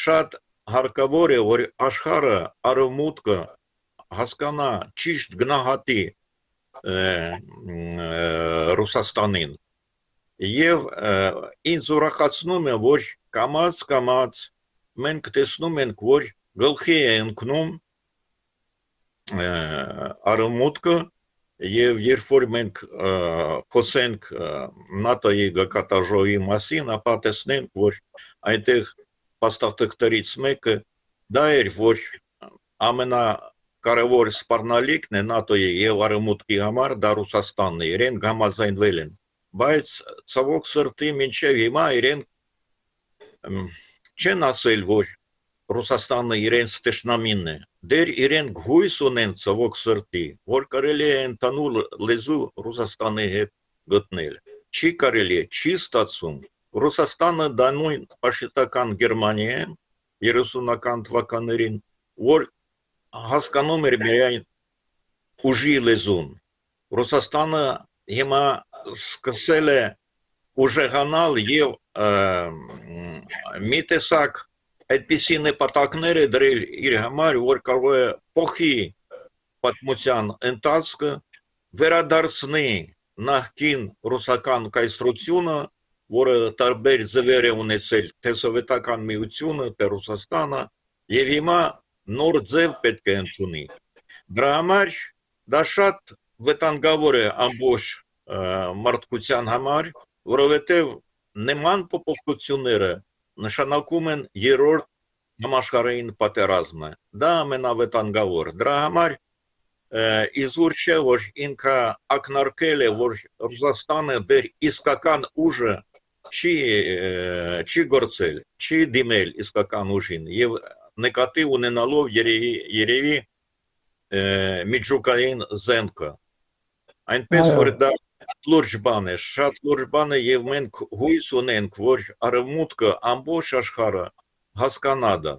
շատ հարկավոր է, որ աշխարհը արևմուտքը հասկանա ճիշտ գնահատի Ռուսաստանին եւ ինձ ուրախացնում է, որ կամաց մենք տեսնում ենք, որ գլխի է ընկնում արևմուտքը եւ երբ որ մենք խոսենք ՆԱՏՕ-ի գկատաժողովի մասին, ապա տեսնենք, որ այնտեղ փաստաթղթերից մեկը դա էր, որ ամենակարևոր սպառնալիքն է ՆԱՏՕ-ի եւ արևմուտքի համար դա Ռուսաստանն է, իրեն համաձայնվել են, բայց ցավոք սրտի մինչև հիմա իրեն չեն ասել, որ Ռուսաստանը իրենց տեշնամին է, դեր իրեն հույս ունեն ցավոք սրտի, որ կարելի է ընդհանուր լեզու Ռուսաստանի հետ գտնել, չի կարելի, չի ստացվում, Ռուսաստանը դա նույն ֆաշիստական Գերմանիա 30-ական թվականներին, որ հասկանում էր միայն ուժի լեզուն, Ռուսաստանը հիմա սկսել է ուժեղանալ եւ մի տեսակ այդպիսի նպատակներ է դրել իր համար, որ կարող է փոխի պատմության ընթացքը, վերադարձնի նախկին ռուսական կայսրությունը, որը տարբեր ձևեր է ունեցել թե սովետական միությունը, թե Ռուսաստանը, եւ հիմա նոր ձև պետք է ընդունի։ Դրա համար դա շատ վտանգավոր է ամբողջ մարդկության համար, որովհետեւ նման փոփոխությունները նշանակում են երրորդ համաշխարհային պատերազմը, դա ամենավտանգավոր, դրա համար իզուր չէ, որ ինքը ակնարկել է, որ Ռուսաստանը դեր իսկական ուժը չի գործել, չի դիմել իսկական ուժին եւ նկատի ունենալով երևի միջուկային զենքը, այնպես որ դա լուրջ բան է, շատ լուրջ բան է եւ մենք հույս ունենք, որ արևմուտքը ամբողջ աշխարհը հասկանա դա